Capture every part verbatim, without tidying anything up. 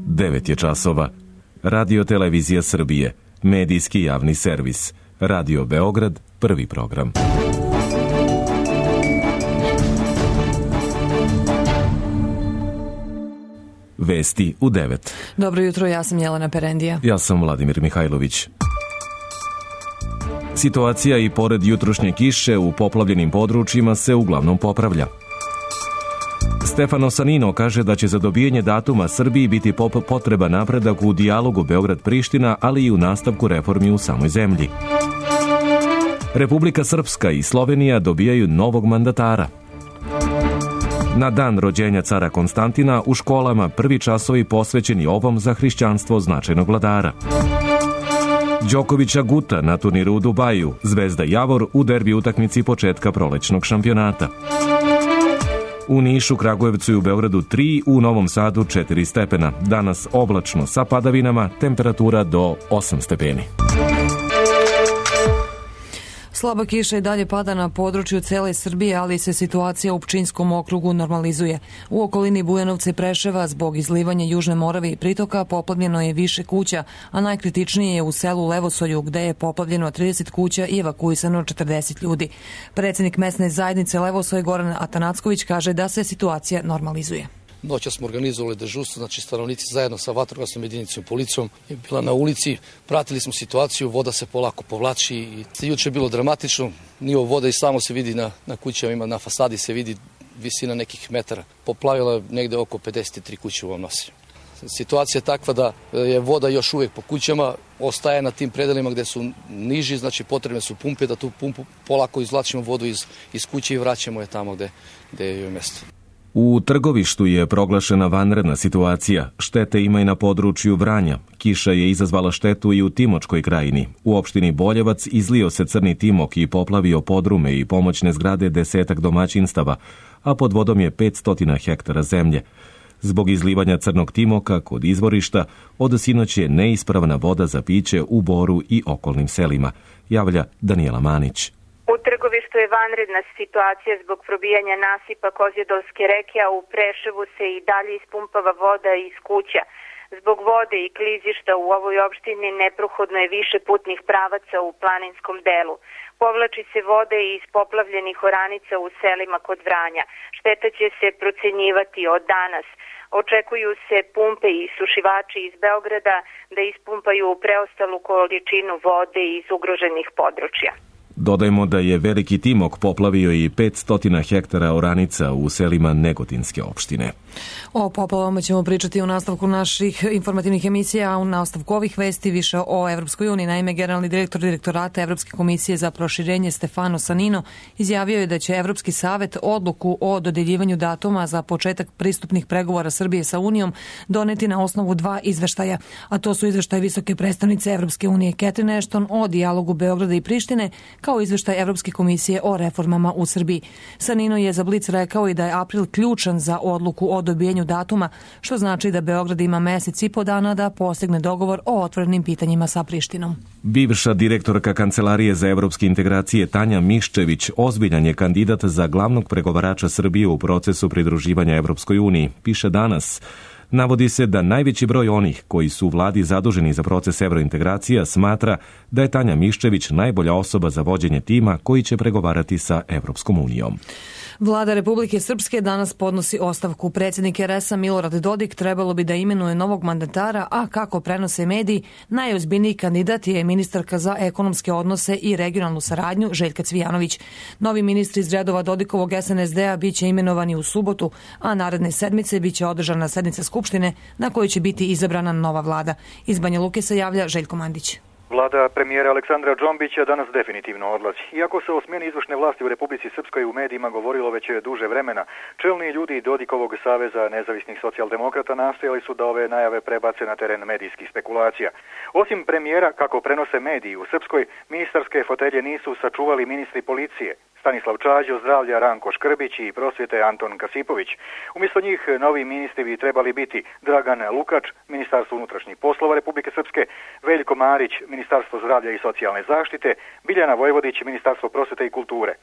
devet je časova. Radio Televizija Srbije, medijski javni servis. Radio Beograd, prvi program. Vesti u devet. Dobro jutro, ja sam Jelena Perendija. Ja sam Vladimir Mihajlović. Situacija i pored jutrošnje kiše u poplavljenim područjima se uglavnom popravlja. Stefano Sanino kaže da će za dobijanje datuma Srbiji biti potreban napredak u dijalogu Beograd-Priština, ali i u nastavku reformi u samoj zemlji. Republika Srpska i Slovenija dobijaju novog mandatara. Na dan rođenja cara Konstantina u školama prvi časovi posvećeni ovom za hrišćanstvo značajnog vladara. Đokovića Guta na turniru u Dubaju, Zvezda Javor u derbi utakmici početka prolećnog šampionata. U Nišu, Kragujevcu i u Beogradu tri, u Novom Sadu četiri stepena. Danas oblačno sa padavinama, temperatura do osam stepeni. Slaba kiša i dalje pada na području cele Srbije, ali se situacija u Pčinjskom okrugu normalizuje. U okolini Bujanovca i Preševa zbog izlivanja Južne Morave i pritoka poplavljeno je više kuća, a najkritičnije je u selu Levosolju gde je poplavljeno trideset kuća i evakuisano četrdeset ljudi. Predsjednik mesne zajednice Levosolj Goran Atanacković kaže da se situacija normalizuje. Noća smo organizovali dežurstvo, znači stanovnici zajedno sa vatrogasnom jedinicom i policijom je bila na ulici, pratili smo situaciju, voda se polako povlači i juče je bilo dramatično, nivo vode i samo se vidi na, na kućama, na fasadi se vidi visina nekih metara. Poplavila je negde oko pedeset tri kuće u ovom nosi. Situacija je takva da je voda još uvijek po kućama, ostaje na tim predelima gde su niži, znači potrebne su pumpe, da tu pumpu polako izvlačimo vodu iz, iz kuće i vraćamo je tamo gde, gde je joj mesto. U Trgovištu je proglašena vanredna situacija. Štete ima i na području Vranja. Kiša je izazvala štetu i u Timočkoj krajini. U opštini Boljevac izlio se crni timok i poplavio podrume i pomoćne zgrade desetak domaćinstava, a pod vodom je petsto hektara zemlje. Zbog izlivanja crnog timoka kod izvorišta, od sinoć je neispravna voda za piće u Boru i okolnim selima, javlja Danijela Manić. U Trgovištu je vanredna situacija zbog probijanja nasipa Kozjedolske reke, a u Preševu se i dalje ispumpava voda iz kuća. Zbog vode i klizišta u ovoj opštini neprohodno je više putnih pravaca u planinskom delu. Povlači se vode iz poplavljenih oranica u selima kod Vranja. Šteta će se procenjivati od danas. Očekuju se pumpe i sušivači iz Beograda da ispumpaju preostalu količinu vode iz ugroženih područja. Dodajmo da je veliki timok poplavio i petsto hektara oranica u selima Negotinske opštine. O poplavama ćemo pričati u nastavku naših informativnih emisija, a u nastavku ovih vesti više o Evropskoj uniji. Naime, generalni direktor direktorata Evropske komisije za proširenje Stefano Sanino izjavio je da će Evropski savet odluku o dodeljivanju datuma za početak pristupnih pregovora Srbije sa Unijom doneti na osnovu dva izveštaja, a to su izveštaj visoke predstavnice Evropske unije Catherine Ashton o dijalogu Beograda i Prištine, kao izveštaj Evropske komisije o reformama u Srbiji. Sanino je za Blic rekao i da je april ključan za odluku o dobijenju datuma, što znači da Beograd ima mesec i po dana da postigne dogovor o otvorenim pitanjima sa Prištinom. Bivša direktorka Kancelarije za evropske integracije Tanja Miščević ozbiljan je kandidat za glavnog pregovarača Srbije u procesu pridruživanja Evropskoj uniji, piše Danas. Navodi se da najveći broj onih koji su u vladi zaduženi za proces evrointegracija smatra da je Tanja Miščević najbolja osoba za vođenje tima koji će pregovarati sa Evropskom unijom. Vlada Republike Srpske danas podnosi ostavku. Predsjednik er es a Milorad Dodik trebalo bi da imenuje novog mandatara, a kako prenose mediji, najozbiljniji kandidat je ministarka za ekonomske odnose i regionalnu saradnju Željka Cvijanović. Novi ministri iz redova Dodikovog es en es de a biće imenovani u subotu, a naredne sedmice biće održana sednica Skupštine na kojoj će biti izabrana nova vlada. Iz Banja Luke se javlja Željko Mandić. Vlada premijera Aleksandra Džombića danas definitivno odlazi. Iako se o smjeni izvršne vlasti u Republici Srpskoj u medijima govorilo već duže vremena, čelni ljudi Dodikovog saveza nezavisnih socijaldemokrata nastojali su da ove najave prebace na teren medijskih spekulacija. Osim premijera, kako prenose mediji u Srpskoj, ministarske fotelje nisu sačuvali ministri policije, Stanislav Čađo, zdravlja Ranko Škrbić i prosvjete Anton Kasipović. Umjesto njih novi ministri bi trebali biti Dragan Lukač, Ministarstvo unutrašnjih poslova Republike Srpske, Veljko Marić, Ministarstvo zdravlja i socijalne zaštite, Biljana Vojvodić, Ministarstvo prosvjete i kulture.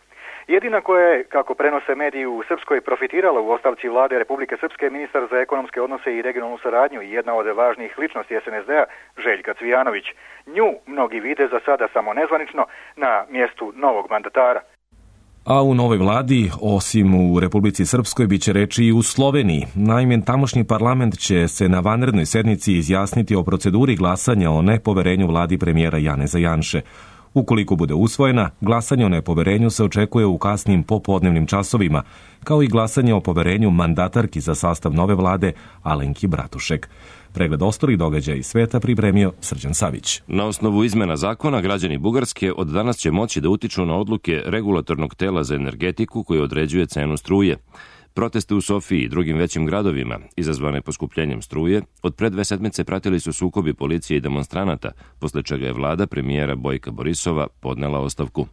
Jedina koja je, kako prenose mediji u Srpskoj, profitirala u ostavci vlade Republike Srpske ministar za ekonomske odnose i regionalnu saradnju i jedna od važnijih ličnosti es en es de-a, Željka Cvijanović. Nju mnogi vide za sada samo nezvanično na mjestu novog mandatara. A u novoj vladi, osim u Republici Srpskoj, bit će reči i u Sloveniji. Naime, tamošnji parlament će se na vanrednoj sednici izjasniti o proceduri glasanja o nepoverenju vladi premijera Janeza Janše. Ukoliko bude usvojena, glasanje o nepoverenju se očekuje u kasnim popodnevnim časovima, kao i glasanje o poverenju mandatarki za sastav nove vlade Alenki Bratušek. Pregled ostalih događaja iz sveta pripremio Srđan Savić. Na osnovu izmena zakona, građani Bugarske od danas će moći da utiču na odluke regulatornog tela za energetiku koje određuje cenu struje. Proteste u Sofiji i drugim većim gradovima, izazvane poskupljenjem struje, od pre dve sedmice pratili su sukobi policije i demonstranata, posle čega je vlada premijera Bojka Borisova podnela ostavku.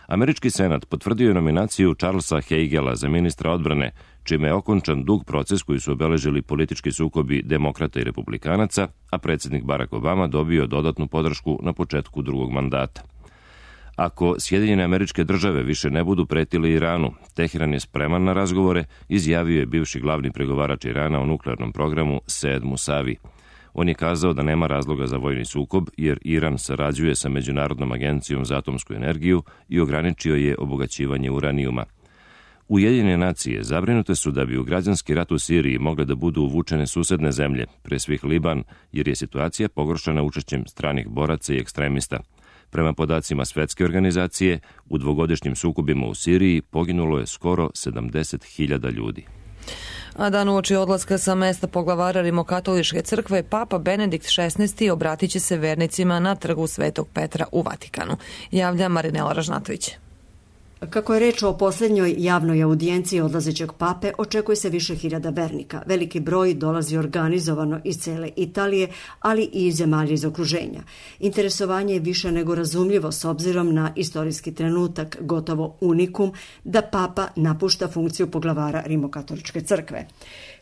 Američki senat potvrdio je nominaciju Charlesa Heigela za ministra odbrane, čime je okončan dug proces koji su obeležili politički sukobi demokrata i republikanaca, a predsjednik Barack Obama dobio dodatnu podršku na početku drugog mandata. Ako Sjedinjene Američke Države više ne budu pretili Iranu, Teheran je spreman na razgovore, izjavio je bivši glavni pregovarač Irana o nuklearnom programu Sead Musavi. On je kazao da nema razloga za vojni sukob jer Iran sarađuje sa Međunarodnom agencijom za atomsku energiju i ograničio je obogaćivanje uranijuma. Ujedinjene nacije zabrinute su da bi u građanski rat u Siriji mogle da budu uvučene susedne zemlje, pre svih Liban, jer je situacija pogoršana učešćem stranih boraca i ekstremista. Prema podacima Svetske organizacije, u dvogodišnjim sukobima u Siriji poginulo je skoro sedamdeset hiljada ljudi. A dan uoči odlaska sa mesta poglavara Rimokatoličke crkve, Papa Benedikt šesnaesti obratit će se vernicima na trgu Svetog Petra u Vatikanu. Javlja Marinela Ražnatović. Kako je reč o posljednjoj javnoj audijenciji odlazećeg pape, očekuje se više hiljada vernika. Veliki broj dolazi organizovano iz cele Italije, ali i iz zemalja iz okruženja. Interesovanje je više nego razumljivo s obzirom na istorijski trenutak, gotovo unikum, da papa napušta funkciju poglavara Rimokatoličke crkve.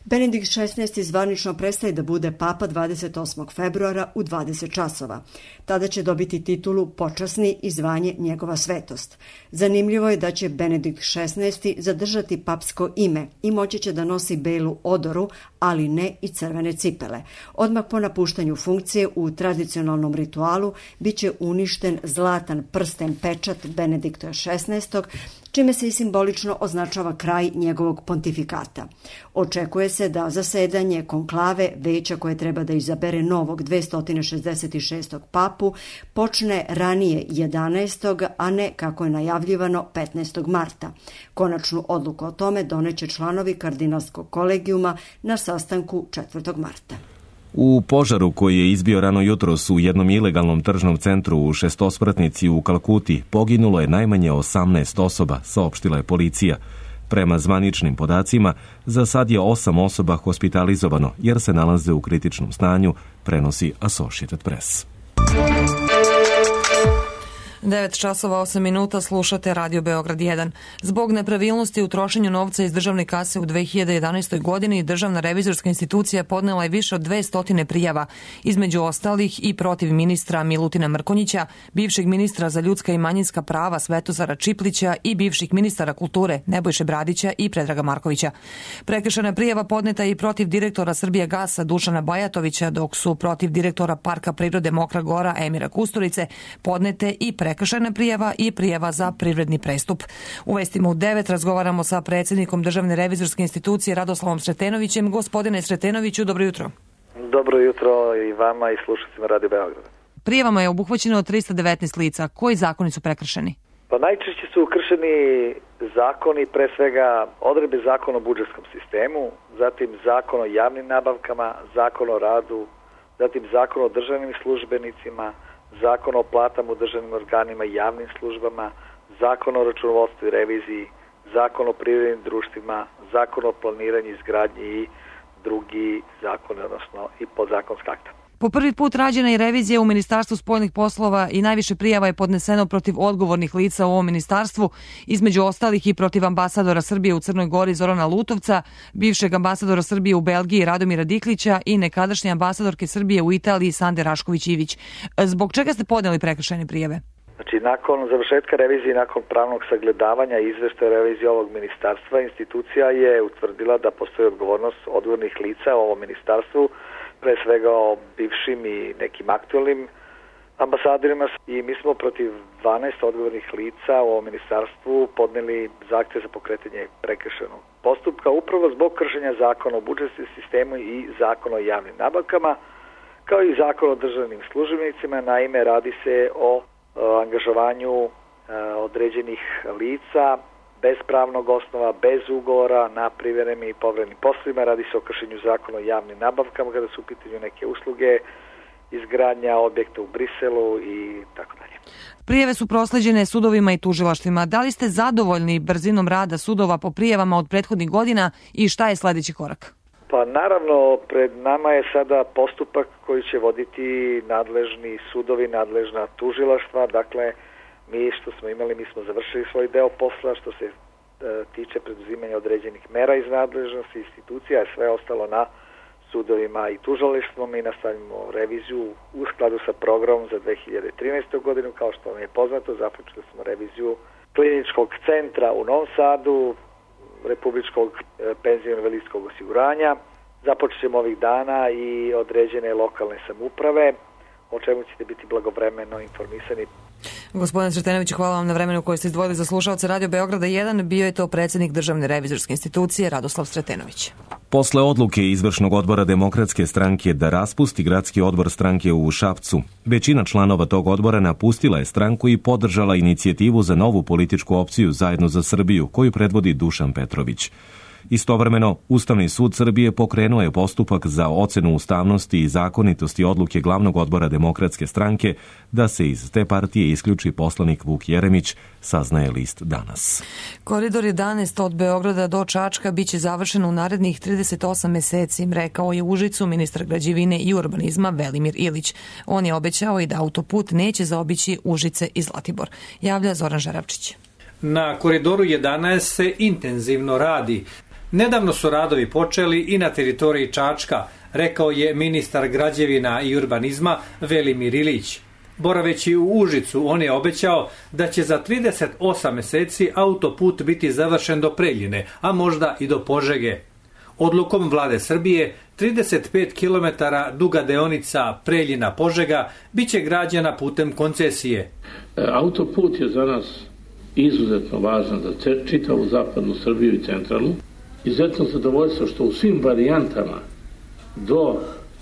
Benedikt šesnaesti zvanično prestaje da bude papa dvadeset osmog februara u dvadeset časova. Tada će dobiti titulu počasni i zvanje njegova svetost. Zanimljivo je da će Benedikt šesnaesti zadržati papsko ime i moći će da nosi belu odoru, ali ne i crvene cipele. Odmah po napuštanju funkcije u tradicionalnom ritualu bit će uništen zlatan prsten pečat Benedikta šesnaestog, čime se i simbolično označava kraj njegovog pontifikata. Očekuje se da zasedanje konklave veća koje treba da izabere novog dvesta šezdeset šestog papu počne ranije jedanaestog a ne, kako je najavljivano, petnaestog marta. Konačnu odluku o tome doneće članovi kardinalskog kolegijuma na sastanku četvrtog marta. U požaru koji je izbio rano jutros u jednom ilegalnom tržnom centru u Šestospratnici u Kalkuti poginulo je najmanje osamnaest osoba, saopštila je policija. Prema zvaničnim podacima, za sad je osam osoba hospitalizovano jer se nalaze u kritičnom stanju, prenosi Associated Press. devet časova osam minuta, slušate Radio Beograd jedan. Zbog nepravilnosti u trošenju novca iz državne kase u dve hiljade jedanaestoj godini, Državna revizorska institucija podnela je više od dvesta prijava, između ostalih i protiv ministra Milutina Mrkonjića, bivšeg ministra za ljudska i manjinska prava Svetozara Čiplića i bivših ministara kulture Nebojše Bradića i Predraga Markovića. Prekršajna prijava podneta je i protiv direktora Srbijagasa Dušana Bajatovića, dok su protiv direktora Parka prirode Mokra Gora Emira Kusturice podnete i prekršajna prijava i prijava za privredni prestup. U vestima u devet razgovaramo sa predsjednikom Državne revizorske institucije Radoslavom Sretenovićem. Gospodine Sretenoviću, dobro jutro. Dobro jutro i vama i slušateljima Radio Beograda. Prijavama je obuhvaćeno trista devetnaest lica. Koji zakoni su prekršeni? Pa najčešće su kršeni zakoni, pre svega odredbe zakona o budžetskom sistemu, zatim zakon o javnim nabavkama, zakon o radu, zatim zakon o državnim službenicima, zakon o platama u državnim organima i javnim službama, zakon o računovodstvu i reviziji, zakon o privrednim društvima, zakon o planiranju, izgradnji i drugi zakon, odnosno i podzakonska akta. Po prvi put rađena je revizija u Ministarstvu spoljnih poslova i najviše prijava je podneseno protiv odgovornih lica u ovom ministarstvu, između ostalih i protiv ambasadora Srbije u Crnoj Gori Zorana Lutovca, bivšeg ambasadora Srbije u Belgiji Radomira Diklića i nekadašnje ambasadorke Srbije u Italiji Sande Rašković-Ivić. Zbog čega ste podneli prekršajne prijave? Znači, nakon završetka revizije, nakon pravnog sagledavanja i izveštaja revizije ovog ministarstva, institucija je utvrdila da postoji odgovornost odgovornih lica u ovom ministarstvu, pre svega o bivšim i nekim aktualnim ambasadorima, i mi smo protiv dvanaest odgovornih lica u ovom ministarstvu podneli zahtev za pokretanje prekršajnog postupka upravo zbog kršenja zakona o budžetskom sistemu i zakona o javnim nabavkama, kao i zakon o državnim službenicima. Naime, radi se o angažovanju određenih lica bez pravnog osnova, bez ugovora, na privremenim i povremenim poslovima. Radi se o kršenju zakona o javnim nabavkama kada su u pitanju neke usluge, izgradnja objekta u Briselu i tako dalje. Prijave su prosleđene sudovima i tužilaštvima. Da li ste zadovoljni brzinom rada sudova po prijavama od prethodnih godina i šta je sledeći korak? Pa naravno, pred nama je sada postupak koji će voditi nadležni sudovi, nadležna tužilaštva. Dakle, mi što smo imali, mi smo završili svoj deo posla što se e, tiče preduzimanja određenih mera iz nadležnosti institucija, je sve ostalo na sudovima i tužilaštvom. Mi nastavimo reviziju u skladu sa programom za dve hiljade trinaestu. godinu. Kao što vam je poznato, započeli smo reviziju kliničkog centra u Novom Sadu, Republičkog penzijsko-invalidskog osiguranja. Započet ćemo ovih dana i određene lokalne samouprave, o čemu ćete biti blagovremeno informisani. Gospodine Sretenović, hvala vam na vremenu koje ste izdvojili za slušaoce Radio Beograda jedan. Bio je to predsjednik Državne revizorske institucije Radoslav Sretenović. Posle odluke Izvršnog odbora Demokratske stranke da raspusti gradski odbor stranke u Šapcu, većina članova tog odbora napustila je stranku i podržala inicijativu za novu političku opciju Zajedno za Srbiju, koju predvodi Dušan Petrović. Istovremeno, Ustavni sud Srbije pokrenuo je postupak za ocenu ustavnosti i zakonitosti odluke glavnog odbora Demokratske stranke da se iz te partije isključi poslanik Vuk Jeremić, saznaje list Danas. Koridor jedanaest od Beograda do Čačka biće završen u narednih trideset osam meseci, rekao je u Užicu ministar građevine i urbanizma Velimir Ilić. On je obećao i da autoput neće zaobići Užice i Zlatibor. Javlja Zoran Žarabčić. Na Koridoru jedanaest se intenzivno radi. Nedavno su radovi počeli i na teritoriji Čačka, rekao je ministar građevina i urbanizma Velimir Ilić. Boraveći u Užicu, on je obećao da će za trideset osam meseci autoput biti završen do Preljine, a možda i do Požege. Odlukom vlade Srbije, trideset pet kilometara duga deonica Preljina-Požega biće građena putem koncesije. Autoput je za nas izuzetno važan za čitavu zapadnu Srbiju i centralnu. Izuzetno zadovoljstvo što u svim varijantama do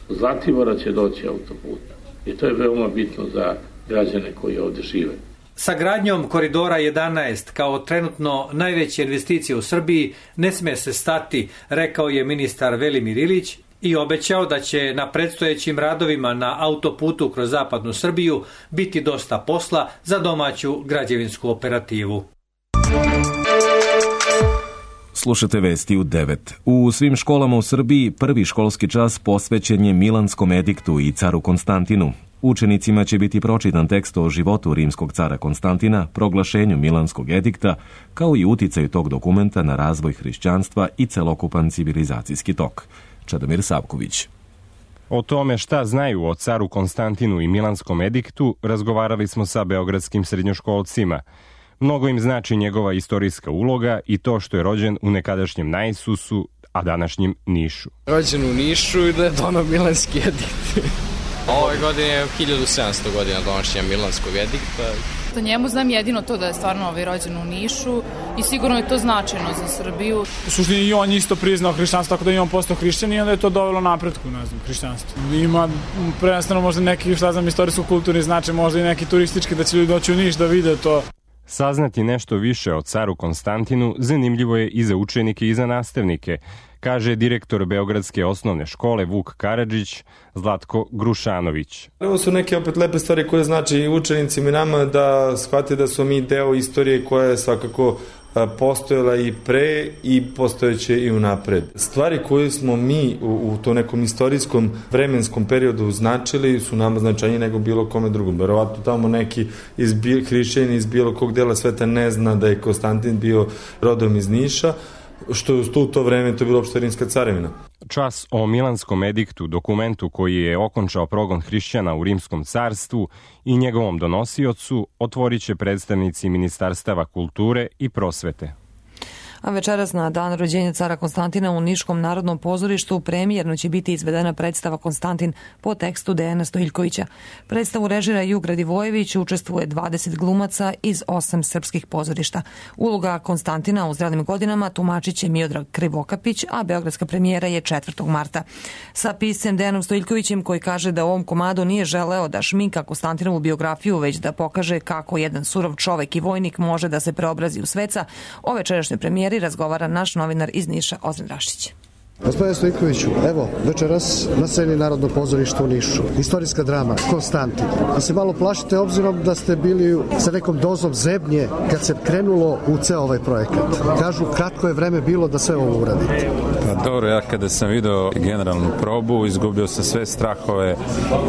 Zlatibora će doći autoput. I to je veoma bitno za građane koji ovdje žive. Sa gradnjom Koridora jedanaest kao trenutno najveće investicije u Srbiji ne sme se stati, rekao je ministar Velimir Ilić i obećao da će na predstojećim radovima na autoputu kroz zapadnu Srbiju biti dosta posla za domaću građevinsku operativu. Slušate vesti u devet. U svim školama u Srbiji prvi školski čas posvećen je Milanskom ediktu i caru Konstantinu. Učenicima će biti pročitan tekst o životu rimskog cara Konstantina, proglašenju Milanskog edikta, kao i uticaju tog dokumenta na razvoj hrišćanstva i celokupan civilizacijski tok. Čedomir Savković. O tome šta znaju o caru Konstantinu i Milanskom ediktu razgovarali smo sa beogradskim srednjoškolcima. Mnogo im znači njegova istorijska uloga i to što je rođen u nekadašnjem Naisusu, a današnjem Nišu. Rođen u Nišu i da je donao Milanski edikt. Ove godine je hiljadu sedamsto godina donošenja Milanskog edikta. O njemu znam jedino to da je stvarno ovaj rođen u Nišu i sigurno je to značajno za Srbiju. U suštini i on isto priznao hrišćanstvo, tako da je on postao hrišćan i onda je to dovelo napretku, ne znam, hrišćanstvo. Ima prvenstveno možda neki, šta znam, istorijsko-kulturni značaj, možda i neki turistički, da će ljudi doći u Niš da vide to. Saznati nešto više o caru Konstantinu zanimljivo je i za učenike i za nastavnike, kaže direktor Beogradske osnovne škole Vuk Karadžić, Zlatko Grušanović. Ovo su neke opet lepe stvari koje znači i učenicima i nama da shvate da su mi deo istorije koja je svakako postojala i pre i postojeće i unapred. Stvari koje smo mi u, u to nekom istorijskom vremenskom periodu značili su nama značajnije nego bilo kome drugom. Verovatno tamo neki iz hrišćani iz bilo kog dela sveta ne zna da je Konstantin bio rodom iz Niša. što je u to vreme to bilo opšte rimska carevina. Čas o Milanskom ediktu, dokumentu koji je okončao progon hrišćana u Rimskom carstvu i njegovom donosiocu, otvorit će predstavnici Ministarstava kulture i prosvete. A večeras na dan rođenja cara Konstantina u Niškom narodnom pozorištu premijerno će biti izvedena predstava Konstantin po tekstu Dejana Stojiljkovića. Predstavu režira Jug Radivojević, učestvuje dvadeset glumaca iz osam srpskih pozorišta. Uloga Konstantina u zrelim godinama tumačit će Miodrag Krivokapić, a beogradska premijera je četvrtog marta. Sa piscem Dejanom Stojiljkovićem, koji kaže da u ovom komadu nije želeo da šminka Konstantinovu biografiju, već da pokaže kako jedan surov čovek i vojnik može da se preobrazi u sveca, o večerašnjoj premijeri razgovara naš novinar iz Niša, Ozren Rašić. Gospodine Stojiljkoviću, evo, večeras na sceni Narodnog pozorišta u Nišu. Istorijska drama, Konstantin. Da se malo plašite obzirom da ste bili sa nekom dozom zebnje kad se krenulo u ceo ovaj projekat. Kažu, kratko je vreme bilo da sve ovo uradite. Pa dobro, ja kada sam video generalnu probu, izgubio sam sve strahove,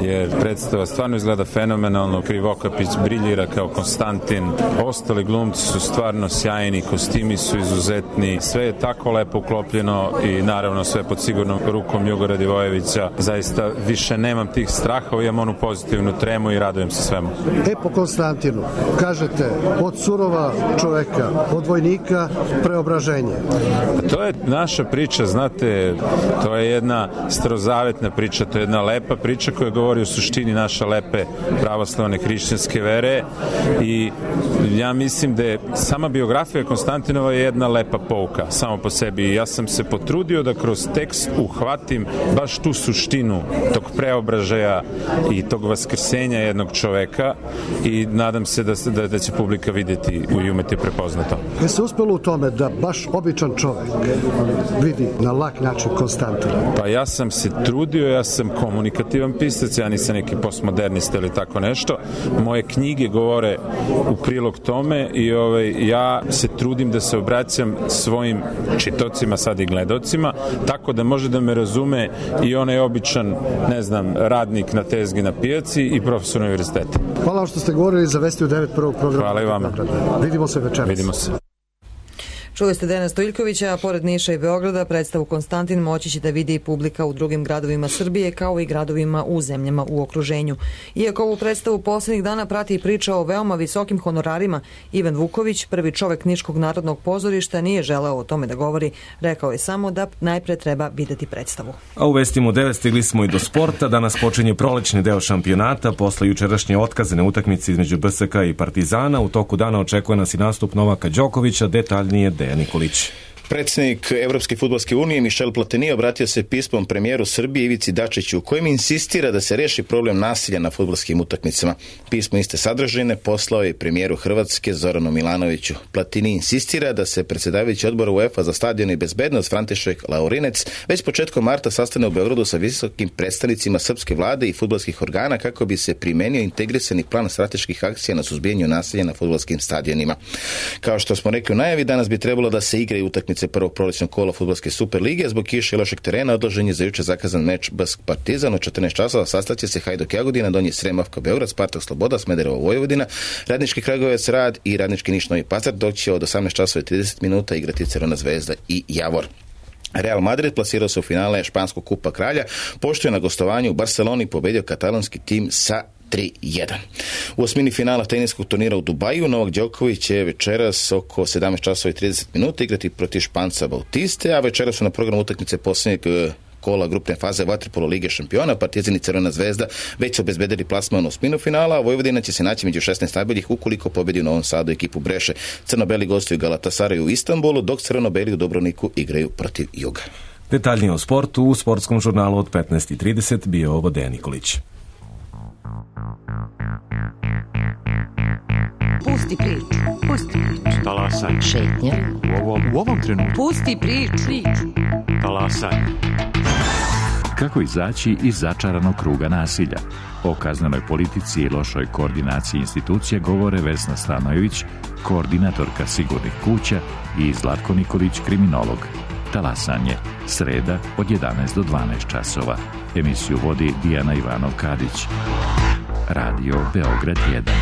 jer predstava stvarno izgleda fenomenalno. Krivokapić briljira kao Konstantin. Ostali glumci su stvarno sjajni, kostimi su izuzetni. Sve je tako lepo uklopljeno i naravno sve pod sigurnom rukom Juga Radivojevića. Zaista više nemam tih strahova, imam onu pozitivnu tremu i radujem se svemu. E po Konstantinu, kažete, od surova čoveka, od vojnika preobraženje. To je naša priča, znate, to je jedna starozavetna priča, to je jedna lepa priča koja govori o suštini naše lepe pravoslavne hrišćanske vere i ja mislim da je sama biografija Konstantinova je jedna lepa pouka, samo po sebi. Ja sam se potrudio da kroz tekst uhvatim baš tu suštinu tog preobražaja i tog vaskrsenja jednog čoveka i nadam se da, da, da će publika vidjeti i umeti prepoznato. Je se uspelo u tome da baš običan čovek vidi na lak način Konstantina? Pa ja sam se trudio, ja sam komunikativan pisac, ja nisam neki postmodernista ili tako nešto. Moje knjige govore u prilog tome i ovaj, ja se trudim da se obraćam svojim čitocima, sad i gledocima, tako da može da me razume i onaj običan, ne znam, radnik na tezgi na pijaci i profesor univerziteta. Hvala vam što ste govorili za Vesti u devet prvog programa. Hvala i vama. Vidimo se večeras. Vidimo se. Čuli ste Dejana Stojiljkovića, a pored Niša i Beograda predstavu Konstantin moći će da vidi i publika u drugim gradovima Srbije, kao i gradovima u zemljama u okruženju. Iako ovu predstavu poslednjih dana prati i priča o veoma visokim honorarima, Ivan Vuković, prvi čovek Niškog narodnog pozorišta, nije želeo o tome da govori. Rekao je samo da najpre treba videti predstavu. A u Vestima u devet stigli smo i do sporta. Danas počinje prolećni deo šampionata. Posle jučerašnje otkazane utakmice između B S K i Partizana, u toku dana očekuje nas i nastup Novaka Đokovića, detaljnije Dejan Nikolić. Predsjednik Evropske fudbalske unije Michel Platini obratio se pismom premijeru Srbije Ivici Dačiću u kojem insistira da se reši problem nasilja na fudbalskim utakmicama. Pismo iste sadržine poslao je premijeru Hrvatske Zoranu Milanoviću. Platini insistira da se predsjedavajući odbora UEFA za stadion i bezbednost František Laurinec već početkom marta sastane u Beogradu sa visokim predstavnicima srpske vlade i fudbalskih organa kako bi se primenio integrisani plan strateških akcija na suzbijanju nasilja na fudbalskim stadionima. Kao što smo rekli u najavi, danas bi trebalo da se igraju utakmice prvog prolećnog kola fudbalske Super lige. Zbog kiše i lošeg terena odložen je za juče zakazan meč B S K Partizan u četrnaest časova. Sastaće se Hajduk Jagodina, Donji Sremavka Beograd, Spartak Sloboda, Smederevo Vojvodina, Radnički Kragujevac Rad i Radnički Niš Novi Pazar, dok će od osamnaest časova i trideset minuta igrati Crvena zvezda i Javor. Real Madrid plasirao se u finale Španskog kupa kralja, pošto je na gostovanju u Barceloni pobedio katalonski tim sa tri jedan. U osmini finala teniskog turnira u Dubaju Novak Đoković će večeras oko sedamnaest časova i trideset minuta igrati protiv Španca Bautiste, a večeras su na programu utakmice posljednjeg kola grupne faze vaterpolo Lige šampiona. Partizan i Crvena zvezda već su obezbedili plasman u osminu finala, a Vojvodina će se naći među šesnaest najboljih ukoliko pobedi u Novom Sadu ekipu Breše. Crno-beli gostuju Galatasaraju u Istanbulu, dok crveno-beli u Dubrovniku igraju protiv Juga. Detaljnije o sportu u sportskom žurnalu od petnaest i trideset bio ovo Dejan Nikolić. Pusti priču, pusti priču. Talasaj. Šetnja. U ovom, u ovom trenutku. Pusti priču. Talasaj. Kako izaći iz začaranog kruga nasilja? O kaznenoj politici i lošoj koordinaciji institucija govore Vesna Stanojević, koordinatorka sigurnih kuća, i Zlatko Nikolić, kriminolog. Talasanje, sreda od jedanaest do dvanaest časova. Emisiju vodi Dijana Ivanov-Kadić. Radio Beograd jedan.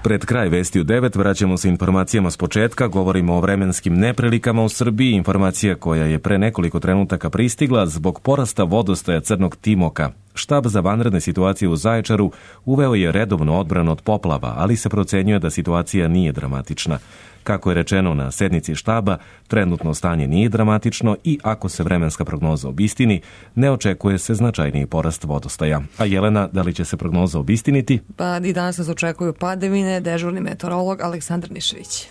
Pred kraj Vesti u devet vraćamo se informacijama s početka, govorimo o vremenskim neprilikama u Srbiji, informacija koja je pre nekoliko trenutaka pristigla zbog porasta vodostaja Crnog Timoka. Štab za vanredne situacije u Zaječaru uveo je redovnu odbranu od poplava, ali se procenjuje da situacija nije dramatična. Kako je rečeno na sednici štaba, trenutno stanje nije dramatično i ako se vremenska prognoza obistini, ne očekuje se značajniji porast vodostaja. A Jelena, da li će se prognoza obistiniti? Pa i danas nas očekuju padavine, dežurni meteorolog Aleksandar Nišević.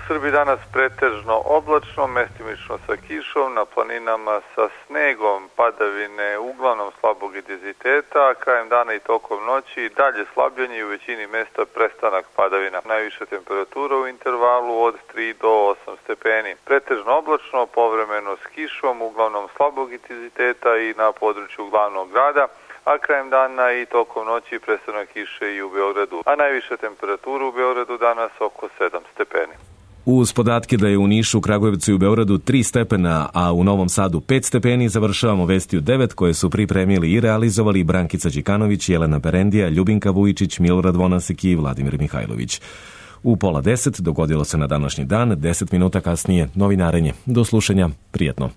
U Srbiji danas pretežno oblačno, mestimično sa kišom, na planinama sa snegom, padavine uglavnom slabog intenziteta, a krajem dana i tokom noći dalje slabljenje i u većini mesta prestanak padavina. Najviša temperatura u intervalu od tri do osam stepeni. Pretežno oblačno, povremeno s kišom, uglavnom slabog intenziteta i na području glavnog grada, a krajem dana i tokom noći prestanak kiše i u Beogradu. A najviša temperatura u Beogradu danas oko sedam stepeni. Uz podatke da je u Nišu, Kragujevcu i u Beogradu tri stepena, a u Novom Sadu pet stepeni, završavamo Vesti u devet koje su pripremili i realizovali Brankica Đikanović, Jelena Berendija, Ljubinka Vujičić, Milorad Vonasek i Vladimir Mihajlović. U pola deset dogodilo se na današnji dan, deset minuta kasnije novinarenje. Do slušanja, prijetno.